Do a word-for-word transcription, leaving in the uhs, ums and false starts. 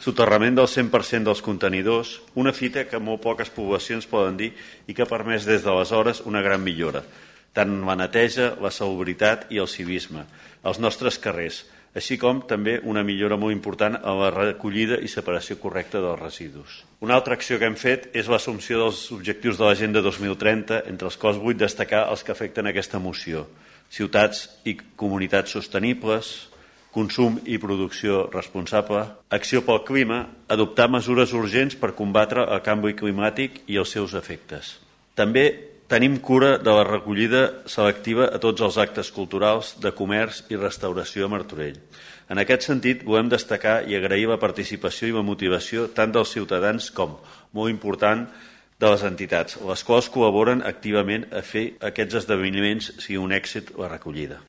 soterrament del cent per cent dels contenidors, una fita que molt poques poblacions poden dir i que ha permès des d'aleshores una gran millora, tant en la neteja, la salubritat i el civisme, als nostres carrers, així com també una millora molt important en la recollida i separació correcta dels residus. Una altra acció que hem fet és l'assumpció dels objectius de l'Agenda dos mil trenta, entre els quals vull destacar els que afecten aquesta moció: ciutats i comunitats sostenibles, consum i producció responsable, acció pel clima, adoptar mesures urgents per combatre el canvi climàtic i els seus efectes. També tenim cura de la recollida selectiva a tots els actes culturals, de comerç i restauració a Martorell. En aquest sentit, volem destacar i agrair la participació i la motivació tant dels ciutadans com, molt important, de les entitats, les quals col·laboren activament a fer aquests esdeveniments sigui un èxit la recollida.